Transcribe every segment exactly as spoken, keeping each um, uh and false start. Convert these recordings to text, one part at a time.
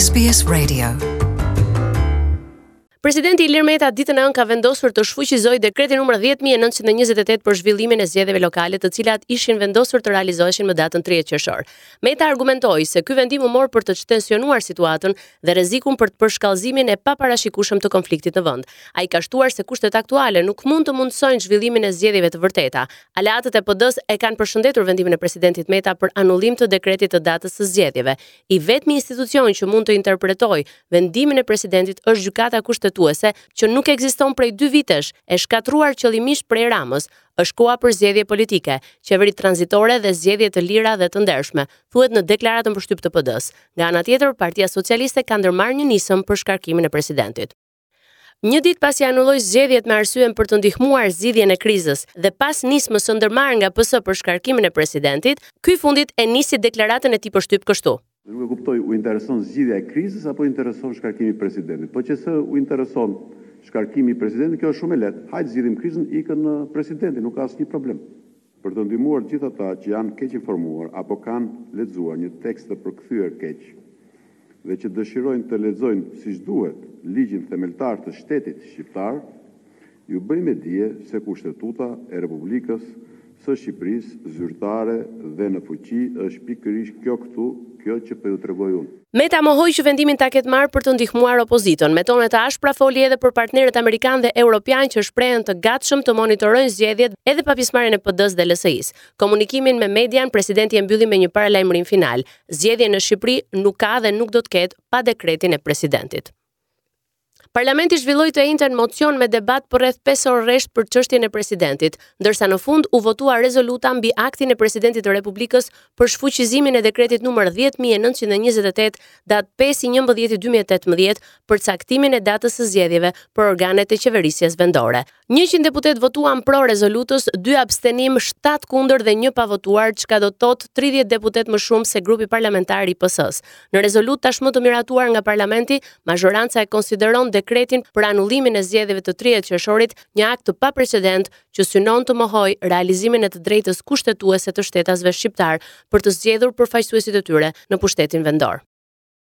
S B S Radio. Presidenti Ilir Meta ditën e hënë ka vendosur të shfuqizojë dekretin numër dhjetë mijë e nëntëqind e njëzet e tetë për zhvillimin e zgjedhjeve lokale, të cilat ishin vendosur të realizoheshin më datën tridhjetë qershor. Meta argumentoi se ky vendim u mor për të çtensionuar situatën dhe rrezikun për të përshkallëzimin e paparashikueshëm të konfliktit në vend. Ai ka shtuar se kushtet aktuale nuk mund të mundësojnë zhvillimin e zgjedhjeve të vërteta. Aleatët e P D-s e kanë përshëndetur vendimin e presidentit Meta për anullim të dekretit të datës së zgjedhjeve. I vetmi institucion që mund të interpretojë vendimin e presidentit është Gjykata Kushtetuese, që nuk ekziston prej dy vitesh, e shkatërruar qëllimisht prej Ramës. Është koha për zgjedhje politike, qeveri tranzitore dhe zgjedhje të lira dhe të ndershme, thuhet në deklaratën për shtyp të P D-s. Nga ana tjetër, Partia Socialiste ka ndërmarrë një nismë për shkarkimin e presidentit. Një ditë pasi anulloi zgjedhjet me arsyen për të ndihmuar zgjidhjen e krizës dhe pas nismës së ndërmarrë nga P S për shkarkimin e presidentit, ky fundit e nisi deklaratën e tij për shtyp kështu. Dhe nuk e kuptoj, u intereson zgjidhja e krizës apo intereson shkarkimi i presidentit? Po që se u intereson shkarkimi i presidentit, kjo është shumë e lehtë. Hajtë zgjidhim krizën, ikën presidenti, nuk ka asnjë problem. Për të ndihmuar gjithë ata që janë keq informuar apo kanë lexuar një tekst të përkthyer keq dhe që dëshirojnë të lexojnë siç duhet ligjin themeltar të shtetit shqiptar, ju bëj me dije se Kushtetuta e Republikës së Shqipërisë zyrtare dhe në fuqi është pikërisht kjo këtu, kjo që po ju tregoj unë. Meta mohoi që vendimin ta ketë marrë për të ndihmuar opozitën. Me tone të ashpra foli edhe për partnerët amerikanë dhe europianë që shprehen të gatshëm të monitorojnë zgjedhjet edhe pa pjesëmarrjen e P D-s dhe L S I-s. Komunikimin me median presidenti e mbylli me një paralajmërim final. Zgjedhje në Shqipëri nuk ka dhe nuk do të ketë pa dekretin e presidentit. Parlamenti zhvilloi të enjten mocion me debat për rreth pesë orë rresht për çështjen e presidentit, ndërsa në fund u votua rezoluta mbi aktin e presidentit të Republikës për shfuqizimin e dekretit numër dhjetë mijë e nëntëqind e njëzet e tetë datë pesë njëmbëdhjetë dy mijë e tetëmbëdhjetë për caktimin e datës së zgjedhjeve për organet e qeverisjes vendore. njëqind deputet votuan pro rezolutës, dy abstenim, shtatë kundër dhe një pa votuar, çka do të thotë tridhjetë deputet më shumë se grupi parlamentar i P S-s. Në rezolutë tashmë të miratuar nga parlamenti, mazhoranca e konsideron dekretin për anullimin e zgjedhjeve të tridhjetë qershorit një akt të paprecedent që synon të mohojë realizimin e të drejtës kushtetuese të shtetasve shqiptar për të zgjedhur përfaqësuesit e tyre në pushtetin vendor.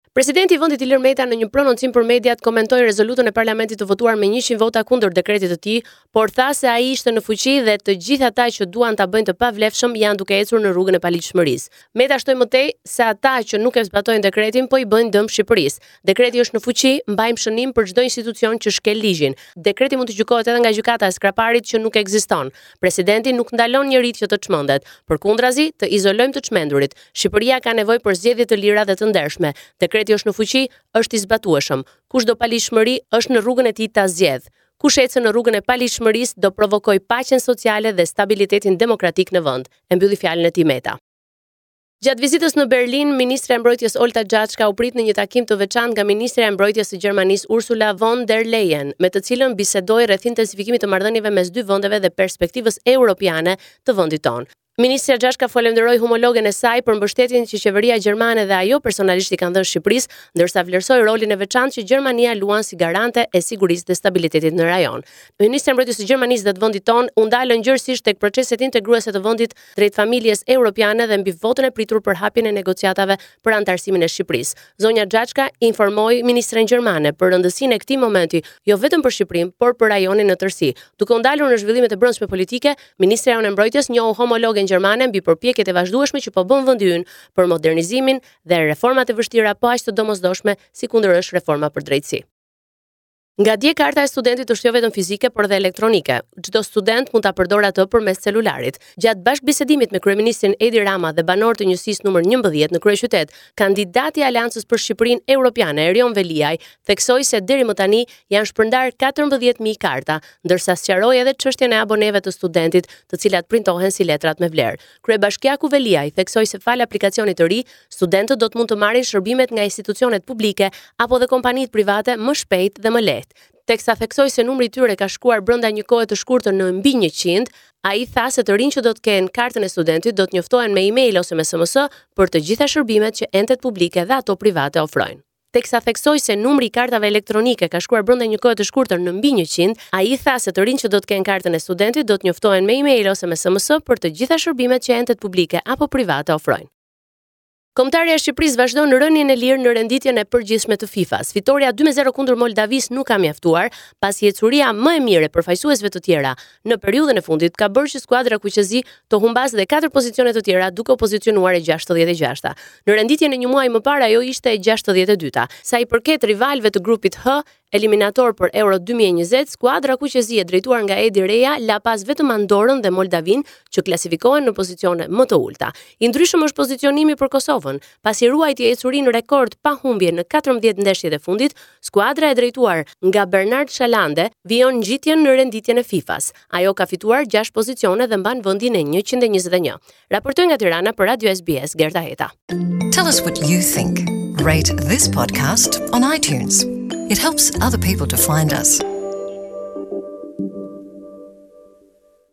Presidenti i vendit, Ilir Meta, në një prononcim për mediat komentoi rezolutën e parlamentit të votuar me njëqind vota kundër dekretit të tij, por tha se ai ishte në fuqi dhe të gjithë ata që duan ta bëjnë të pavlefshëm janë duke ecur në rrugën e paligjshmërisë. Meta shtoi më tej se ata që nuk e zbatojnë dekretin po i bëjnë dëm Shqipërisë. Dekreti është në fuqi, mbajmë shënim për çdo institucion që shkel ligjin. Dekreti mund të gjykohet edhe nga gjykata e Skraparit, që nuk ekziston. Presidenti nuk ndalon njerit që të çmendet. Përkundrazi, të izolojmë të çmendurit. Shqipëria ka nevojë për zgjedhje të lira dhe të ndershme. Dekreti është në fuqi, është i zbatueshëm. Kush do paligjshmëri është në rrugën e tij ta zgjedh. Kush ecën në rrugën e paligjshmërisë do provokoj paqen sociale dhe stabilitetin demokratik në vend. E mbylli fjalën e tij Meta. Gjatë vizitës në Berlin, ministrja e Mbrojtjes Olta Xhaçka u prit në një takim të veçantë nga ministrja e Mbrojtjes së Gjermanisë, Ursula von der Leyen, me të cilën bisedoi rreth intensifikimit të marrëdhënieve mes dy vendeve dhe perspektivës europiane të vendit tonë. Ministrja Xhaçka falenderoi homologen e saj për mbështetjen që qeveria gjermane dhe ajo personalisht i kanë dhënë Shqipërisë, ndërsa vlerësoi rolin e veçantë që Gjermania luan si garante e sigurisë dhe stabilitetit në rajon. Ministrja e Mbrojtjes së Gjermanisë dhe të vendit tonë u ndalën gjerësisht tek proceset integruese të vendit drejt familjes europiane dhe mbi votën e pritur për hapjen e negociatave për anëtarësimin e Shqipërisë. Zonja Xhaçka informoi ministren gjermane për rëndësinë e këtij momenti jo vetëm për Shqipërinë, por për rajonin në tërësi. Duke u ndalur në zhvillimet e brendshme politike, ministrja jonë e Mbrojtjes njohu homologen gjermane mbi përpjekjet e vazhdueshme që po bën vendi ynë për modernizimin dhe reformat e vështira, po aq të domosdoshme sikundër është reforma për drejtësi. Nga dje karta e studentit është jo vetëm fizike, por dhe elektronike. Çdo student mund ta përdorë atë përmes celularit. Gjatë bashkëbisedimit me kryeministrin Edi Rama dhe banorët e njësisë numër njëmbëdhjetë në kryeqytet, kandidati i Aleancës për Shqipërinë Europiane, Erion Veliaj, theksoi se deri më tani janë shpërndar katërmbëdhjetë mijë karta, ndërsa sqaroi edhe çështjen e aboneve të studentit, të cilat printohen si letrat me vlerë. Kryebashkiaku Veliaj theksoi se fal aplikacionit të ri, studentët do të mund të marrin shërbimet nga institucionet publike apo dhe kompanitë private më shpejt dhe më lehtë. Teksa theksoi se numri i tyre ka shkuar brenda një kohe të shkurtër në mbi njëqind, ai tha se të rinj që do të kenë kartën e studentit do të njoftohen me email ose me S M S për të gjitha shërbimet që entet publike dhe ato private ofrojnë. Teksa theksoi se numri i kartave elektronike ka shkuar brenda një kohe të shkurtër në mbi njëqind, ai tha se të rinj që do të kenë kartën e studentit do të njoftohen me email ose me S M S për të gjitha shërbimet që entet publike apo private ofrojnë. Kombëtarja e Shqipërisë vazhdon rënien e lirë në renditjen e përgjithshme të FIFA-s. Fitoria dy me zero kundër Moldavisë nuk ka mjaftuar, pasi ecuria më e mirë e përfaqësuesve të tjera në periudhën e fundit ka bërë që skuadra kuqezi të humbasë dhe katër pozicione të tjera, duke u pozicionuar e gjashtëdhjetë e gjashta. Në renditjen e një muaji më parë ajo ishte e gjashtëdhjetë e dyta. Sa i përket rivalëve të grupit H, eliminator për Euro dy mijë e njëzet, skuadra kuqezi e drejtuar nga Edi Reja la pas vetëm Andorën dhe Moldavin, që klasifikohen në pozicione më të ulta. I ndryshëm është pozicionimi për Kosovën, pasi ruajti ecurinë rekord pa humbje në katërmbëdhjetë ndeshjet e fundit, skuadra e drejtuar nga Bernard Challandes vijon ngjitjen në renditjen e FIFA-s. Ajo ka fituar gjashtë pozicione dhe mban vendin e njëqind e njëzet e një. Raportoi nga Tirana për Radio S B S Gerta Heta. Tell us what you think. Rate this podcast on iTunes. It helps other people to find us.